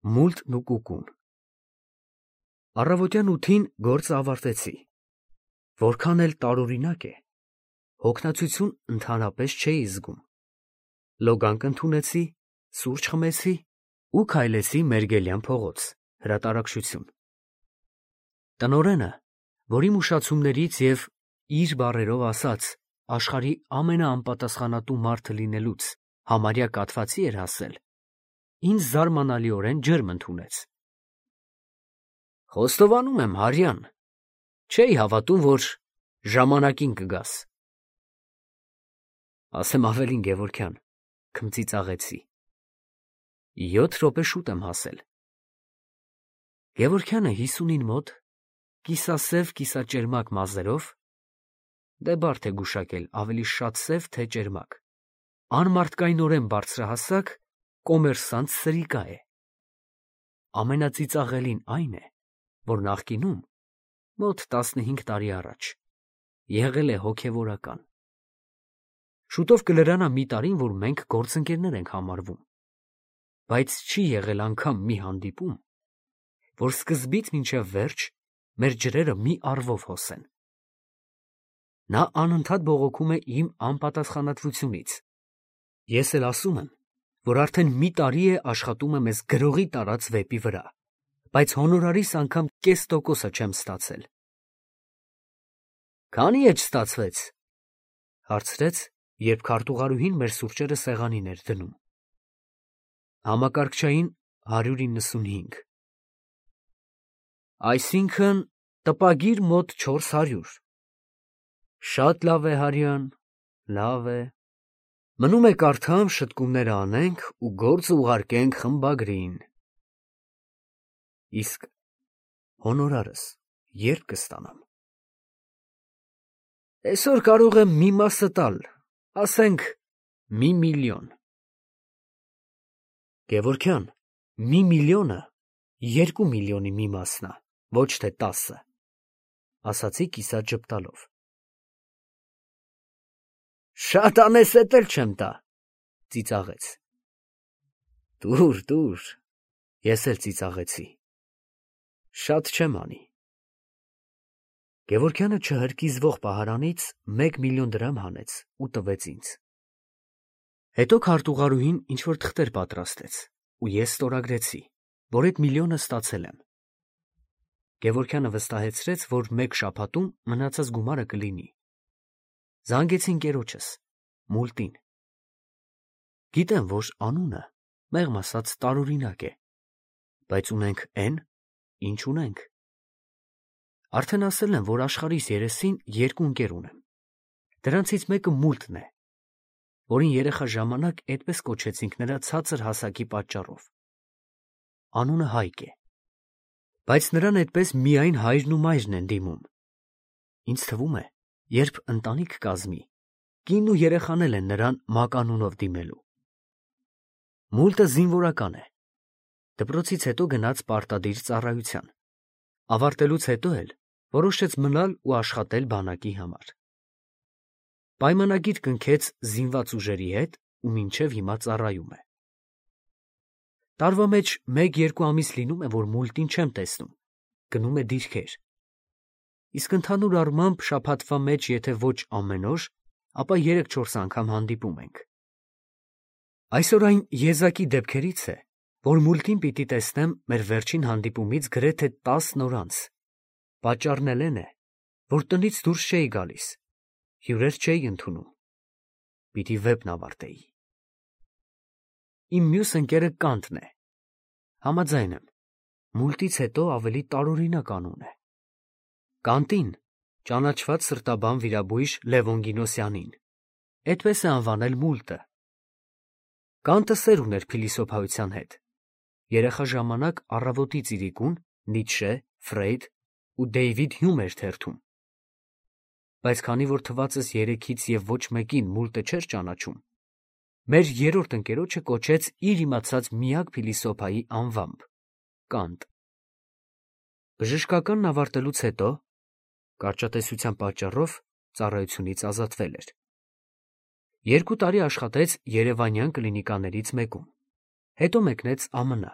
Մուլտն ու կուկուն։ Առավոտյան 8-ին գործը ավարտեցի։ Որքան էլ տարօրինակ է, հոգնածություն ընդհանրապես չէի զգում։ Լոգանք ընդունեցի, սուրճ խմեցի ու քայլեցի Մերգելյան փողոց, հրատարակչություն։ Տնօրենը, որ իմ ուշացումներից և իր բառերով ասած աշխարհի ամենաանպատասխանատու մարդը լինելուց համարյա կաթվածի էր հասել, ինձ զարմանալիորեն ջերմ ընդունեց։ Խոստովանում եմ, Հարյան, չէի հավատում, որ ժամանակին կգաս։ Ասեմ ավելին, Գևորգյան, քմծիծաղեցի։ 7 րոպե շուտ եմ հասել։ Գևորգյանը 50-ին մոտ, կիսասև կիսաճերմակ մազերով, դե բարդ է գուշակել ավելի շատ սև, թե ճերմակ, անմարդկայնորեն բարձրահասակ, կոմերսանտ սրիկա է։ Ամենածիծաղելին այն է, որ նախկինում, մոտ 15 տարի առաջ, եղել է հոգևորական։ Շուտով կլրանա մի տարին, որ մենք գործընկերներ ենք համարվում, բայց չի եղել անգամ մի հանդիպում, որ սկզբից մինչև վերջ մեր ջրերը մի առվով հոսեն։ Նա անընդհատ բողոքում է իմ անպատասխանատվությունից։ Ես էլ ասում եմ, որ արդեն մի տարի է աշխատում եմ ես գրողի տարած վեպի վրա, բայց հոնորարիս անգամ կես տոկոսը չեմ ստացել։ Քանի՞ էջ ստացվեց, հարցրեց, երբ քարտուղարուհին մեր սուրճերը սեղանին էր դնում։ Համակարգչային 195։ Այսինքն տպագիր մոտ 400։ Շատ լավ է, Հարյան, լավ է։ Մնում է կարդամ, շտկումները անենք ու գործը ուղարկենք խմբագրին։ Իսկ հոնորարս երբ կստանամ։ Այսօր կարող եմ մի մասը տալ, ասենք 1 միլիոն։ Գևորգյան, 1 միլիոնը 2 միլիոնի մի մասն է, ոչ թե 10, ասացի կիսատ ժպտալով։ Շատ անես, էդ էլ չեմ տա, ծիծաղեց։ Տուր, ես էլ ծիծաղեցի։ Շատ չեմ անի։ Գևորգյանը չհրկիզվող պահարանից 1 միլիոն դրամ հանեց ու տվեց ինձ։ Հետո քարտուղարուհին ինչ-որ թղթեր պատրաստեց, ու ես ստորագրեցի, որ այդ միլիոնը ստացել եմ։ Գևորգյանը վստահեցրեց, որ 1 շաբաթում մնացած գումարը կլինի։ Զանգեցի ընկերոջս, Մուլտին։ Գիտեմ, որ անունը, մեղմ ասած, տարօրինակ է, բայց ունենք էն, ինչ ունենք։ Արդեն ասել եմ, որ աշխարհիս երեսին 2 ընկեր ունեմ։ Դրանցից մեկը Մուլտն է, որին երեխա ժամանակ այդպես կոչեցինք նրա ցածր հասակի պատճառով։ Անունը Հայկ է, բայց նրան այդպես միայն հայրն ու մայրն են դիմում։ Ինձ թվում է, երբ ընտանիք կազմի, կինն ու երեխան էլ են նրան մականունով դիմելու։ Մուլտը զինվորական է։ Դպրոցից հետո գնաց պարտադիր ծառայության։ Ավարտելուց հետո էլ որոշեց մնալ ու աշխատել բանակի համար։ Պայմանագիր կնքեց զինված ուժերի հետ ու մինչև հիմա ծառայում է։ Տարվա մեջ 1-2 ամիս լինում է, որ Մուլտին չեմ տեսնում, գնում է դիրքեր։ Իսկ ընդհանուր առմամբ շաբաթվա մեջ, եթե ոչ ամեն օր, ապա 3-4 անգամ հանդիպում ենք։ Այսօր այն եզակի դեպքերից է, որ Մուլտին պիտի տեսնեմ մեր վերջին հանդիպումից գրեթե 10 օր անց։ Պատճառն էլ է, որ տնից դուրս չէի գալիս, հյուրեր չէի ընդունում։ Պիտի վեպն ավարտեի։ Իմ մյուս ընկերը Կանտն է։ Համաձայն եմ, Մուլտից հետո ավելի տարօրինակ անուն է։ Կանտին ճանաչված սրտաբան վիրաբույժ Լևոն Գինոսյանին այդպես է անվանել Մուլտը։ Կանտը սեր ուներ փիլիսոփայության հետ։ Երեխա ժամանակ առավոտից իրիկուն Նիցշե, Ֆրեյդ ու Դեյվիդ Հյում էր թերթում։ Բայց քանի որ թվացս 3-ից և ոչ մեկին Մուլտը չէր ճանաչում, մեր 3-րդ ընկերոջը կոչեց իր իմացած միակ փիլիսոփայի անվամբ՝ Կանտ։ Բժշկականն ավարտելուց հետո կարճատեսության պատճառով ծառայությունից ազատվել էր։ 2 տարի աշխատեց երևանյան կլինիկաներից մեկում, հետո մեկնեց ԱՄՆ,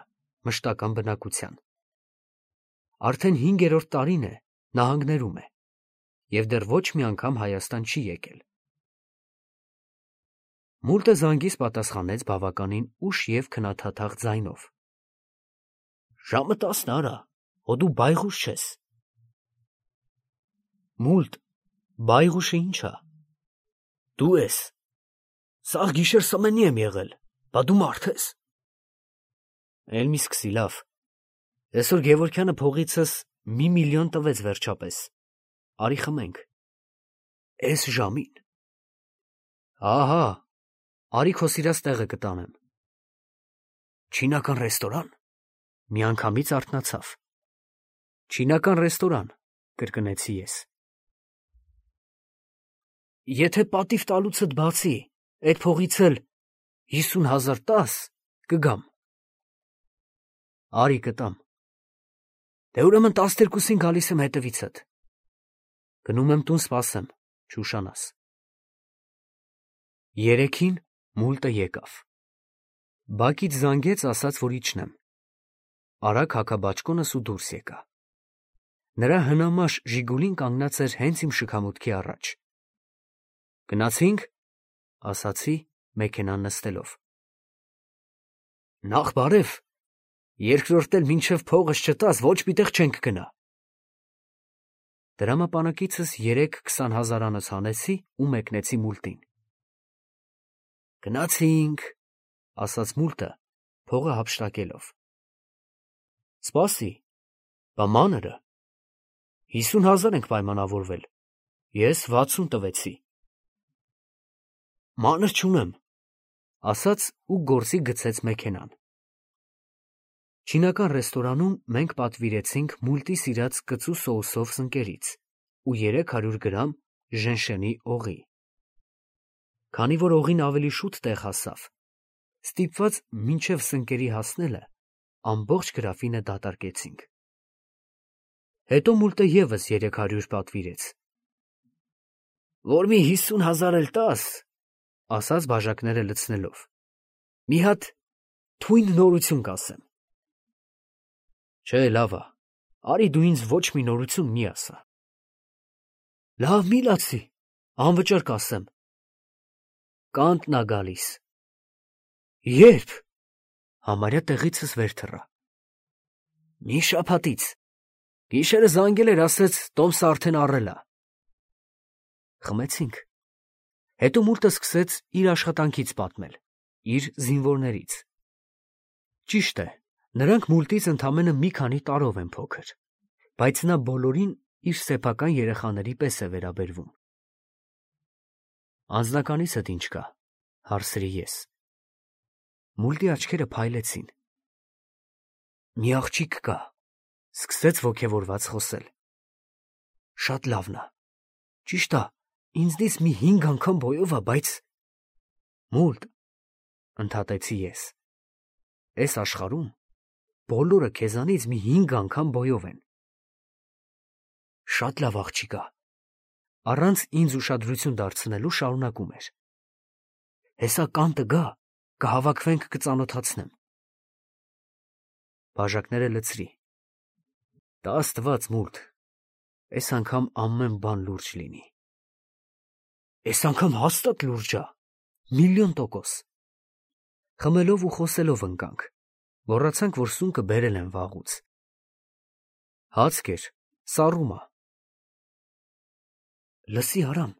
մշտական բնակության։ Արդեն 5-րդ տարին է նահանգներում է և դեռ ոչ մի անգամ Հայաստան չի եկել։ Մուլտը զանգիս պատասխանեց բավականին ուշ և քնաթաթախ ձայնով. «Ժամը 10-ն արա, հո դու բայղուշ չես»։ Մուլտ, բայղուշը ի՞նչ ա։ Դու ես։ Սաղ գիշեր սմենի եմ եղել, բա դու մարդ ես։ Էլ մի սկսի, լավ։ Այսօր Գևորգյանը փողիցս 1 միլիոն տվեց վերջապես։ Արի խմենք։ Էս ժամին։ Ահա, արի քո սիրած տեղը կտանեմ։ Չինական ռեստորան։ Միանգամից արթնացավ։ Չինական ռեստորան, կրկնեցի ես։ Եթե պատիվ տալուցդ բացի, այդ փողից էլ 50,000 տաս, կգամ։ Արի կտամ։ Դե ուրեմն 12-ին գալիս եմ հետևիցդ։ Գնում եմ տուն սպասեմ, չուշանաս։ 3-ին Մուլտը եկավ։ Բակից զանգեց, ասաց, որ իջնեմ։ Արագ հագաբաճկոնս ու դուրս եկա։ Նրա հնամաշ Ժիգուլին կանգնած էր հենց իմ շքամուտքի առաջ։ Գնացինք, ասացի, մեքենան նստելով։ Նախ բարև, երկրորդ էլ մինչև փողս չտաս, ոչ մի տեղ չենք գնա։ Դրամապանակիցս 3-20,000-անոց հանեցի ու մեկնեցի Մուլտին։ Գնացինք, ասաց Մուլտը, փողը հափշտակելով։ Սպասի, բա մանրը։ 50,000 ենք պայմանավորվել, ես 60 տվեցի։ Մանր չունեմ, ասաց ու գործի գցեց մեքենան։ Չինական ռեստորանում մենք պատվիրեցինք Մուլտի սիրած կծու սոուսով սնկերից ու 300 գրամ ժենշենի օղի։ Քանի որ օղին ավելի շուտ տեղ հասավ, ստիպված մինչև սնկերի հասնելը ամբողջ գրաֆինը դատարկեցինք։ Հետո Մուլտը ևս 300 պատվիրեց։ Որ մի 50,000 էլ տաս, ասաց բաժակները լցնելով։ Մի հատ թույն նորություն կասեմ։ Չէ, լավ ա, արի դու ինձ ոչ մի նորություն մի ասա։ Լավ մի լացի, անվճար կասեմ։ Կանտն ա գալիս։ Երբ։ Համարյա տեղիցս վեր թռա։ Մի շաբաթից։ Գիշերը զանգել էր, ասեց տոմսը արդեն առել ա։ Խմեցինք։ Հետո Մուլտը սկսեց իր աշխատանքից պատմել, իր զինվորներից։ Ճիշտ է, նրանք Մուլտից ընդամենը մի քանի տարով են փոքր, բայց նա բոլորին իր սեփական երեխաների պես է վերաբերվում։ Անձնականիցդ ինչ կա, հարցրի ես։ Մուլտի աչքերը փայլեցին։ Մի աղջիկ կա, սկսեց ոգևորված խոսել։ Շատ լավն ա, ճիշտ ա, ինձնից մի 5 անգամ բոյով ա, բայց… Մուլտ, ընդհատեցի ես, այս աշխարհում բոլորը քեզանից մի 5 անգամ բոյով են։ Շատ լավ աղջիկ ա, առանց ինձ ուշադրություն դարձնելու շարունակում էր։ Հեսա կանտը գա, կհավաքվենք, կծանոթացնեմ։ Բաժակները լցրի։ Տա Աստված, Մուլտ, այս անգամ ամեն բան լուրջ լինի։ Այս անգամ հաստատ լուրջ ա, 1,000,000%։ Խմելով ու խոսելով ընկանք, մոռացանք, որ սունկը բերել են վաղուց։ Հաց կեր, սառում ա։ Լսի Արամ,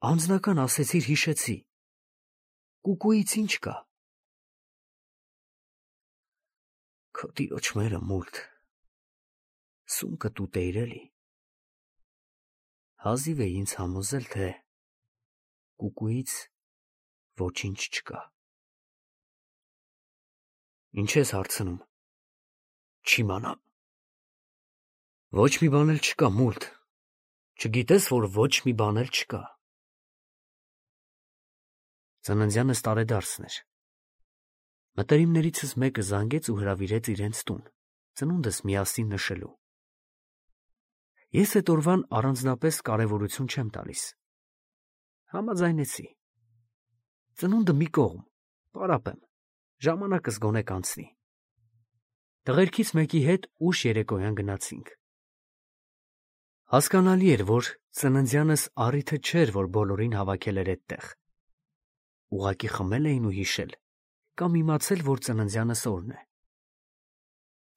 անձնական ասեցիր հիշեցի։ Կուկուից ինչ կա։ Քո տիրոջ մերը, Մուլտ, սունկը տուտ էիր էլի։ Հազիվ է ինձ համոզել, թե կուկուից ոչինչ չկա։ Ինչ ես հարցնում։ Չիմանամ։ Ոչ մի բան էլ չկա, Մուլտ։ Չգիտես, որ ոչ մի բան էլ չկա։ Ծննդյանս տարեդարձն էր։ Մտերիմներիցս մեկը զանգեց ու հրավիրեց իրենց տուն, ծնունդս միասին նշելու։ Ես այդ օրվան առանձնապես կարևորություն չեմ տալիս։ Համաձայնեցի։ Ծնունդը մի կողմ, պարապեմ, ժամանակս գոնե կանցնի։ Տղերքից մեկի հետ ուշ երեկոյան գնացինք։ Հասկանալի էր, որ ծննդյանս առիթը չէր, որ բոլորին հավաքել էր այդտեղ։ Ուղղակի խմել էին ու հիշել, կամ իմացել, որ ծննդյանս օրն է։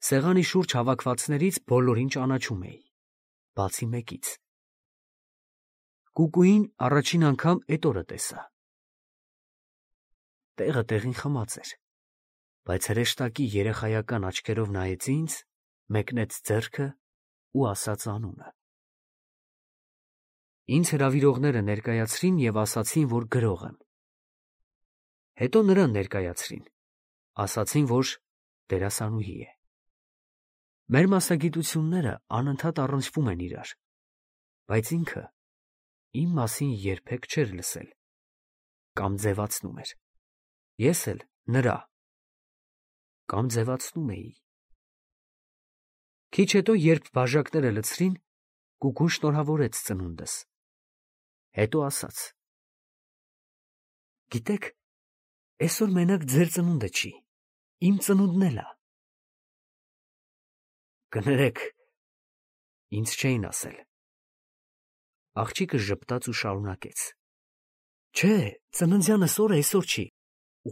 Սեղանի շուրջ հավաքվածներից բոլորին ճանաչում էի, բացի մեկից։ Կուկուին առաջին անգամ էդ օրը տեսա։ Տեղը տեղին խմած էր, բայց հրեշտակի երեխայական աչքերով նայեց ինձ, մեկնեց ձեռքը ու ասաց անունը։ Ինձ հրավիրողները ներկայացրին և ասացին, որ գրող եմ։ Հետո նրան ներկայացրին, ասացին, որ դերասանուհի է։ Մեր մասնագիտությունները անընդհատ առնչվում են իրար, բայց ինքը իմ մասին երբեք չէր լսել կամ ձևացնում էր։ Ես էլ նրա կամ ձևացնում էի։ Քիչ հետո, երբ բաժակները լցրին, Կուկուն շնորհավորեց ծնունդս։ Հետո ասաց. Գիտեք, այսօր մենակ ձեր ծնունդը չի, իմ ծնունդն էլ է։ Կներեք, ինձ չէին ասել։ Աղջիկը ժպտաց ու շարունակեց. Չէ, ծննդյանս օրը այսօր չի,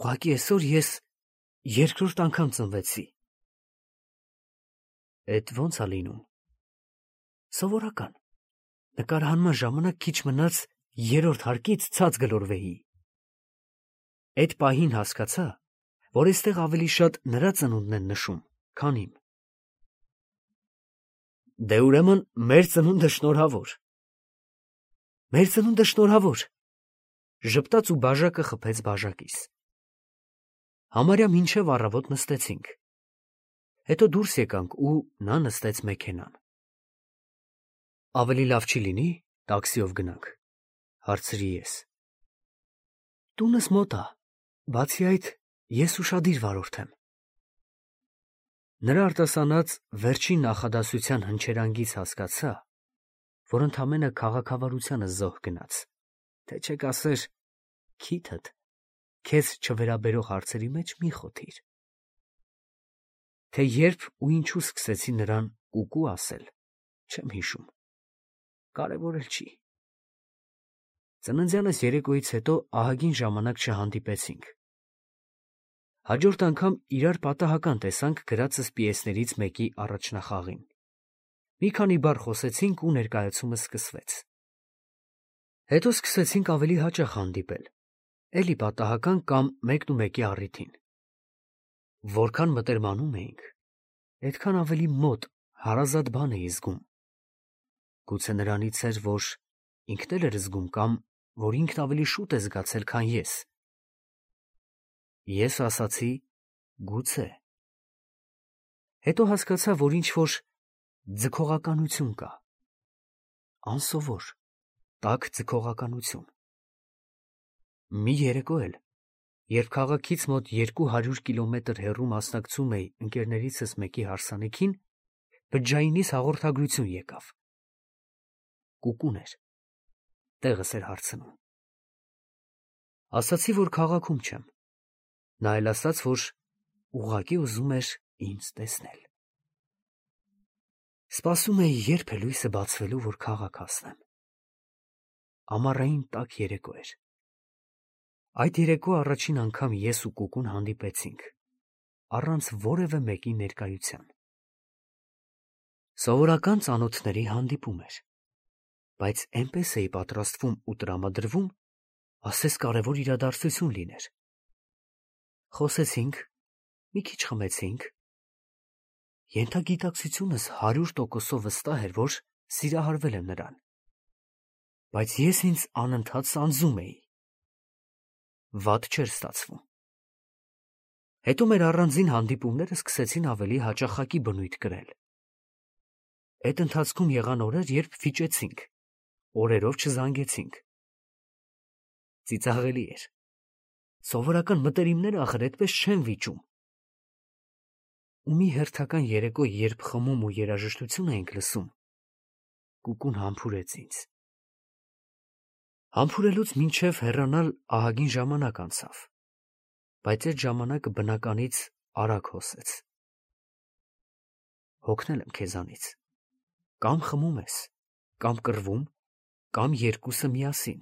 ուղղակի այսօր ես երկրորդ անգամ ծնվեցի։ Էդ ո՞նց է լինում։ Սովորական։ Նկարահանման ժամանակ քիչ մնաց երրորդ հարկից ցած գլորվեի։ Էդ պահին հասկացա, որ այստեղ ավելի շատ նրա ծնունդն են նշում, քան իմ։ Դե ուրեմն մեր ծնունդը շնորհավոր։ Մեր ծնունդը շնորհավոր։ Ժպտաց ու բաժակը խփեց բաժակից։ Համարյա մինչև առավոտ նստեցինք։ Հետո դուրս եկանք ու նա նստեց մեքենան։ Ավելի լավ չի լինի տաքսիով գնանք, հարցրի ես։ Տունս մոտ է, բացի այդ, ես ուշադիր վարորդ եմ։ Նրա արտասանած վերջին նախադասության հնչերանգից հասկացա, որ ընդամենը քաղաքավարությանը զոհ գնաց, թե չեք ասեր, քիթդ, քեզ չվերաբերող հարցերի մեջ մի խոթիր։ Թե երբ ու ինչու սկսեցի նրան կուկու ասել, չեմ հիշում, կարևոր էլ չի։ Ծննդյանս երեկոյից հետո ահագին ժամանակ չհանդիպեցինք։ Հաջորդ անգամ իրար պատահական տեսանք գրածս պիեսներից մեկի առաջնախաղին։ Մի քանի բառ խոսեցինք ու ներկայացումը սկսվեց։ Հետո սկսեցինք ավելի հաճախ հանդիպել, էլի պատահական կամ մեկն ու մեկի առիթին։ Որքան մտերմանում էինք, այդքան ավելի մոտ, հարազատ բան էի զգում։ Գուցե նրանից էր, որ ինքն էլ էր զգում կամ որ ինքն ավելի շուտ է զգացել, քան ես։ Ես ասացի գուցե։ Հետո հասկացա, որ ինչ-որ ձգողականություն կա։ Անսովոր, տաք ձգողականություն։ Մի երեկո էլ, երբ քաղաքից մոտ 200 կիլոմետր հեռու մասնակցում էի ընկերներիցս մեկի հարսանիքին, բջջայինիս հաղորդագրություն եկավ։ Կուկուն էր, տեղս էր հարցնում։ Ասացի, որ քաղաքում չեմ։ Նա էլ ասաց, որ ուղղակի ուզում էր ինձ տեսնել։ Սպասում էի, երբ է լույսը բացվելու, որ քաղաք հասնեմ։ Ամառային տաք երեկո էր։ Այդ երեկո առաջին անգամ ես ու Կուկուն հանդիպեցինք, առանց որևէ մեկի ներկայության։ Սովորական ծանոթների հանդիպում էր, բայց էնպես էի պատրաստվում ու տրամադրվում, ասես կարևոր իրադարձություն լիներ։ Խոսեցինք, մի քիչ խմեցինք։ Ենթագիտակցությունս 100% վստահ էր, որ սիրահարվել եմ նրան, բայց ես ինձ անընդհատ սանձում էի։ Վատ չէր ստացվում։ Հետո մեր առանձին հանդիպումները սկսեցին ավելի հաճախակի բնույթ կրել։ Այդ ընթացքում եղան օրեր, երբ վիճեցինք, օրերով չզանգեցինք։ Ծիծաղելի էր։ Սովորական մտերիմները ախր այդպես չեն վիճում։ Ու մի հերթական երեկո, երբ խմում ու երաժշտություն էինք լսում, Կուկուն համբուրեց ինձ։ Համբուրելուց մինչև հեռանալ ահագին ժամանակ անցավ, բայց այդ ժամանակը բնականից արագ հոսեց։ հոգնել եմ քեզանից։ Կամ խմում ես, կամ կռվում, կամ երկուսը միասին։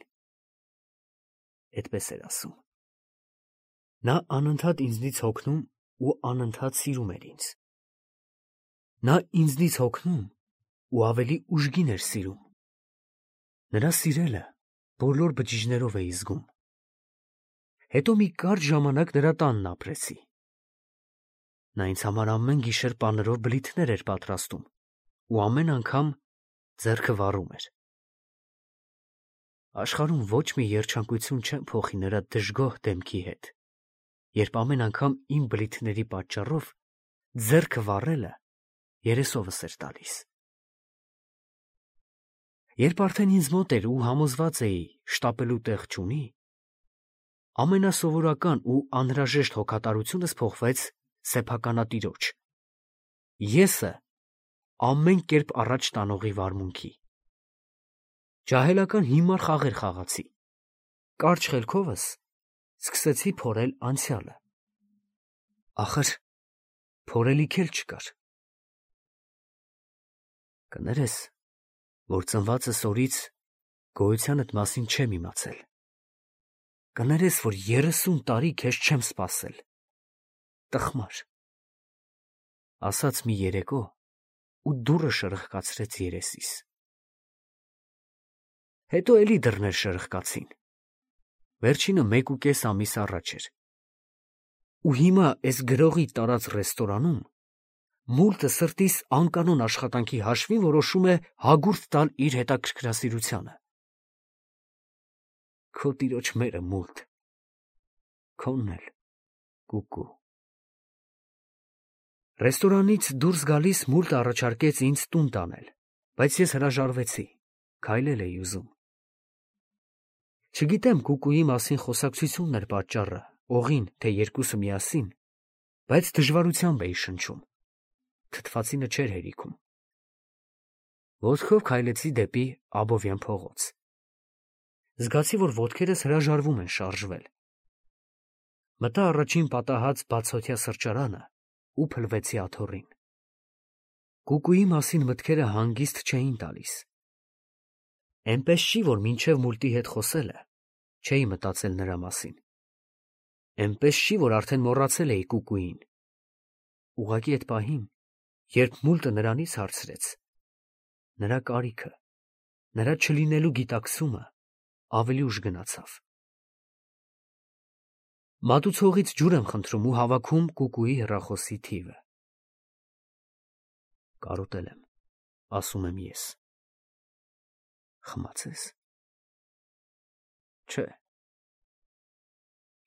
Էդպես էր ասում։ Նա անընդհատ ինձնից հոգնում ու անընդհատ սիրում էր ինձ։ Նա ինձնից հոգնում ու ավելի ուժգին էր սիրում։ Նրա սիրելը բոլոր բջիջներով էի զգում։ Հետո մի կարճ ժամանակ նրա տանն ապրեցի։ Նա ինձ համար ամեն գիշեր պաներով բլիթներ էր պատրաստում ու ամեն անգամ ձեռքը վառում էր։ Աշխարհում ոչ մի երջանկություն չեմ փոխի նրա դժգոհ դեմքի հետ, երբ ամեն անգամ իմ բլիթների պատճառով ձեռքը վառելը երեսովս էր տալիս։ Երբ արդեն ինձ մոտ էր ու համոզված էի շտապելու տեղ չունի, ամենասովորական ու անհրաժեշտ հոգատարությունս փոխվեց սեփականատիրոջ։ Եսը ամեն կերպ առաջ տանողի վարմունքի։ Ջահելական հիմար խաղեր խաղացի։ Կարճ խելքովս սկսեցի փորել անցյալը։ Ախր փորելիք էլ չկար։ Կներես, որ ծնվածս օրից գոյությանդ մասին չեմ իմացել։ Կներես, որ 30 տարի քեզ չեմ սպասել։ Տխմար։ Ասաց մի երեկո ու դուռը շրխկացրեց երեսիս։ Հետո էլի դռներ շրխկացին։ Վերջինը 1.5 ամիս առաջ էր։ Ու հիմա էս գրողի տարած ռեստորանում մուլտը սրտիս անկանոն աշխատանքի հաշվին որոշում է հագուրդ տալ իր հետաքրքրասիրությանը։ Քո տիրոջ մերը մուլտ, քոնն էլ կուկու։ Ռեստորանից դուրս գալիս մուլտը առաջարկեց ինձ տուն տանել, բայց ես հրաժարվեցի, քայլել էի ուզում։ Չգիտեմ կուկուի մասին խոսակցությունն էր պատճառը, օղին, թե երկուսը միասին, բայց դժվարությամբ էի շնչում։ Թթվածինը չէր հերիքում։ Ոտքով քայլեցի դեպի Աբովյան փողոց։ Զգացի, որ ոտքերս հրաժարվում են շարժվել։ Մտա առաջին պատահած բացօթյա սրճարանը ու փլվեցի աթոռին։ Կուկուի մասին մտքերը հանգիստ չէին տալիս։ Էնպես չի, որ մինչև մուլտի հետ խոսելը չէի մտածել նրա մասին։ Էնպես չի, որ արդեն մոռացել էի կուկուին։ Ուղղակի այդ պահին, երբ մուլտը նրանից հարցրեց, նրա կարիքը, նրա չլինելու գիտակցումը ավելի ուժ գնացավ։ Մատուցողից ջուր եմ խնդրում ու հավաքում կուկուի հեռախոսի թիվը։ Կարոտել եմ, ասում եմ ես։ Խմացես։ Չէ։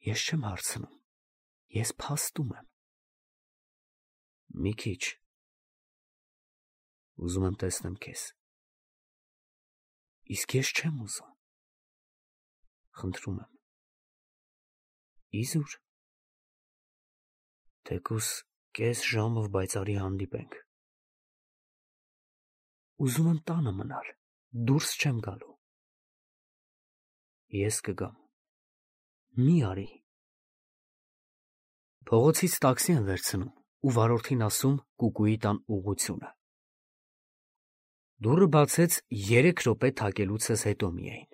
Ես չեմ հարցնում, ես փաստում եմ։ Մի քիչ։ Ուզում եմ տեսնեմ քեզ։ Իսկ ես չեմ ուզում։ Խնդրում եմ։ Իզուր։ Թեկուս կես ժամով բայցարի հանդիպենք։ Ուզում եմ տանը մնալ, դուրս չեմ գալու։ Ես կգամ։ Մի արի։ Փողոցից տաքսի եմ վերցնում ու վարորդին ասում կուկուի տան ուղղությունը։ Դուռը բացեց 3 րոպե թակելուցս հետո միայն։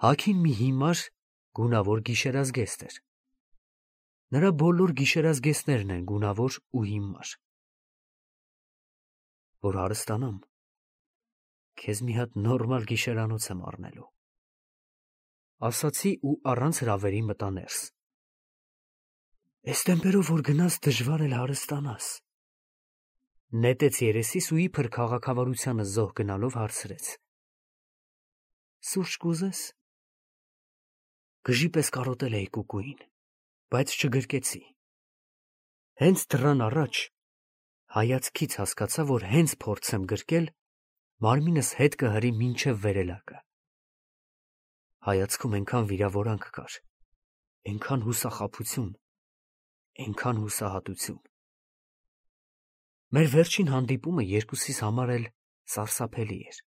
Հագին մի հիմար, գունավոր գիշերազգեստ էր։ Նրա բոլոր գիշերազգեստներն են գունավոր ու հիմար։ Որ հարստանամ, քեզ մի հատ նորմալ գիշերանոց եմ առնելու։ Ասացի ու առանց հրավերի մտա ներս։ Էս տեմպերով որ գնաս դժվար էլ հարստանաս։ Նետեց երեսիս ու իբր քաղաքավարությանը զոհ գնալով հարցրեց. Սուրճ կուզես։ Գժի պես կարոտել էի կուկուին, բայց չգրկեցի։ Հենց դռան առաջ հայացքից հասկացա, որ հենց փորձեմ գրկել, մարմինս հետ կհրի մինչև վերելակը։ Հայացքում այնքան վիրավորանք կար, այնքան հուսախաբություն, այնքան հուսահատություն։ Մեր վերջին հանդիպումը երկուսիս համար էլ սարսափելի էր։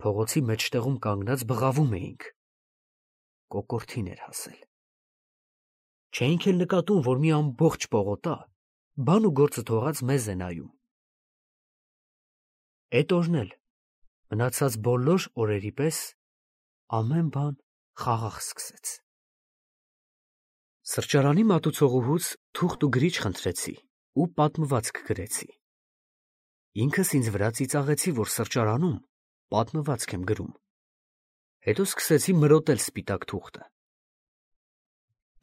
Փողոցի մեջտեղում կանգնած բղավում էինք։ Կոկորդին էր հասել։ Չէինք էլ նկատում, որ մի ամբողջ պողոտա բան ու գործը թողած մեզ է նայում։ Էդ օրն էլ, մնացած բոլոր օրերի պես, ամեն բան խաղաղ սկսեց։ Սրճարանի մատուցողուհուց թուղթ ու գրիչ խնդրեցի ու պատմվածք գրեցի։ Ինքս ինձ վրա ծիծաղեցի, որ սրճարանում պատմվածք եմ գրում։ Հետո սկսեցի մրոտել սպիտակ թուղթը։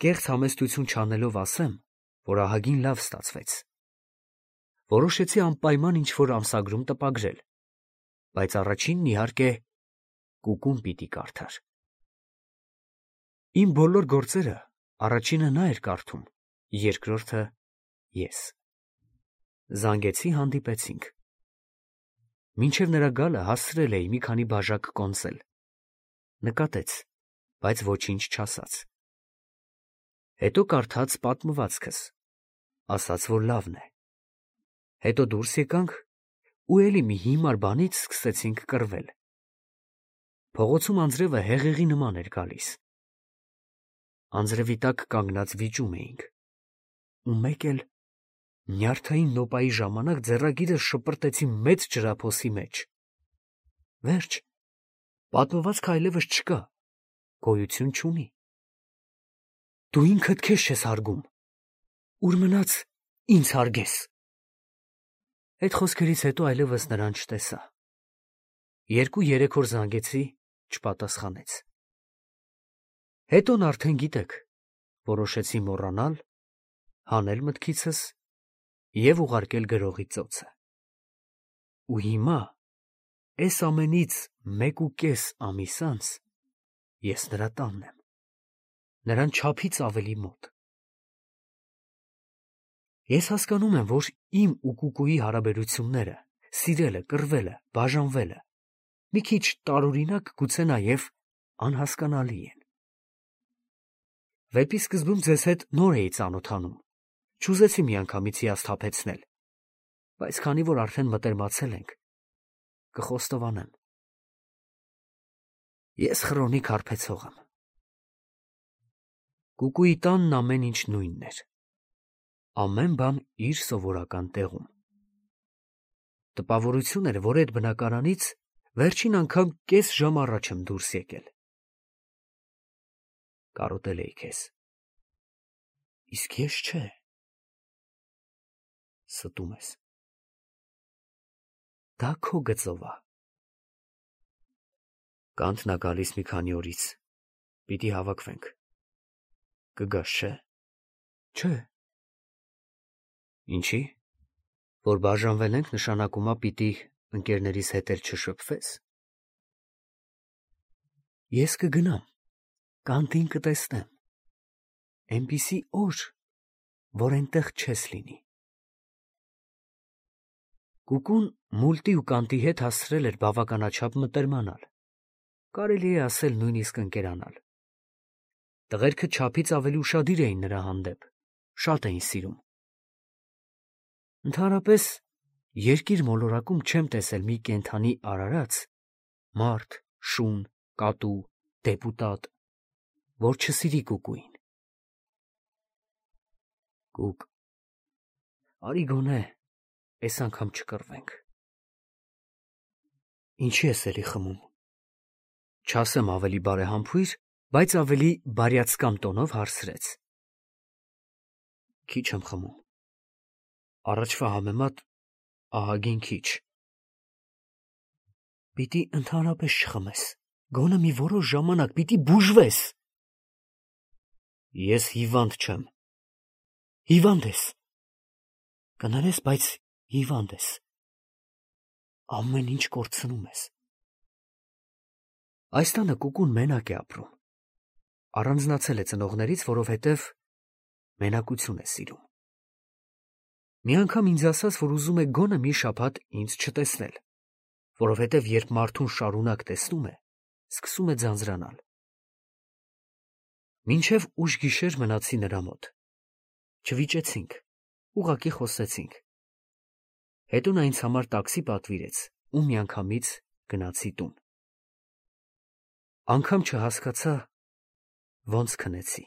Կեղծ համեստություն չանելով ասեմ, որ ահագին լավ ստացվեց։ Որոշեցի անպայման ինչ-որ ամսագրում տպագրել, բայց առաջինն իհարկե Կուկուն պիտի կարդար։ Իմ բոլոր գործերը առաջինը նա էր կարդում, երկրորդը ես։ Զանգեցի, հանդիպեցինք։ Մինչև նրա գալը հասցրել էի մի քանի բաժակ կոնսել։ Նկատեց, բայց ոչինչ չասաց։ Հետո կարդաց պատմվածքս, ասաց, որ լավն է։ Հետո դուրս եկանք ու էլի մի հիմար բանից սկսեցինք կռվել։ Փողոցում անձրևը հեղեղի նման էր գալիս։ Անձրևի տակ կանգնած վիճում էինք։ Ու մեկ էլ նյարդային նոպայի ժամանակ ձեռագիրս շպրտեցի մեծ ջրափոսի մեջ։ Վերջ, պատմվածքը այլևս չկա, գոյություն չունի։ Դու ինքդ քեզ չես հարգում, ուր մնաց ինձ հարգես։ Այդ խոսքերից հետո այլևս նրան չտեսա։ 2-3 օր զանգեցի, չպատասխանեց։ Հետոն արդեն գիտեք, որոշեցի մոռանալ, հանել մտքիցս և ուղարկել գրողի ծոցը։ Ու հիմա, էս ամենից 1.5 ամիս անց, ես նրա տանն եմ, նրան չափից ավելի մոտ։ Ես հասկանում եմ, որ իմ ու Կուկուի հարաբերությունները, սիրելը, կռվելը, բաժանվելը, մի քիչ տարօրինակ, գուցե նաև անհասկանալի են։ Վեպի սկզբում ձեզ հետ նոր էի ծանոթանում, չուզեցի միանգամից հիասթափեցնել, բայց քանի որ արդեն մտերմացել ենք, կխոստովանեմ։ Ես խրոնիկ հարբեցող եմ։ Կուկուի տանն ամեն ինչ նույնն էր։ Ամեն բան իր սովորական տեղում։ Տպավորություն էր, որ այդ բնակարանից վերջին անգամ կես ժամ առաջ եմ դուրս եկել։ Կարոտել էի քեզ։ Իսկ ես չէ։ Ստում ես։ Դա քո գծով է։ Կանթն ա գալիս մի քանի օրից։ Պիտի հավաքվենք։ Կգաս, չէ։ Չէ։ Ինչի՞։ Որ բաժանվել ենք, նշանակում է պիտի ընկերներիս հետ էլ չշփվես։ Ես կգնամ, կանտին կտեսնեմ։ Էնպիսի օր, որ այնտեղ չես լինի։ Կուկուն մուլտի ու կանտի հետ հասցրել էր բավականաչափ մտերմանալ, կարելի է ասել նույնիսկ ընկերանալ։ Տղերքը չափից ավելի ուշադիր էին նրա հանդեպ, շատ էին սիրում։ Ընդհանրապես, երկիր մոլորակում չեմ տեսել մի կենդանի արարած, մարդ, շուն, կատու, դեպուտատ, որ չսիրի Կուկուին։ Կուկ, արի գոնե էս անգամ չկռվենք։ Ինչի ես էլի խմում։ Չասեմ ավելի բարեհամբույր, բայց ավելի բարյացկամ տոնով հարցրեց։ Քիչ եմ խմում։ Առաջվա համեմատ ահագին քիչ։ Պիտի ընդհանրապես չխմես, գոնե մի որոշ ժամանակ պիտի բուժվես։ Ես հիվանդ չեմ։ Հիվանդ ես։ Կներես, բայց հիվանդ ես։ Ամեն ինչ կորցնում ես։ Այս տանը Կուկուն մենակ է ապրում։ Առանձնացել է ծնողներից, որովհետև մենակություն է սիրում։ Մի անգամ ինձ ասաց, որ ուզում է գոնե մի շաբաթ ինձ չտեսնել, որովհետև երբ մարդուն շարունակ տեսնում է, սկսում է ձանձրանալ։ Մինչև ուշ գիշեր մնացի նրա մոտ։ Չվիճեցինք, ուղղակի խոսեցինք։ Հետո նա ինձ համար տաքսի պատվիրեց ու միանգամից գնացի տուն։ Անգամ չհասկացա ոնց քնեցի։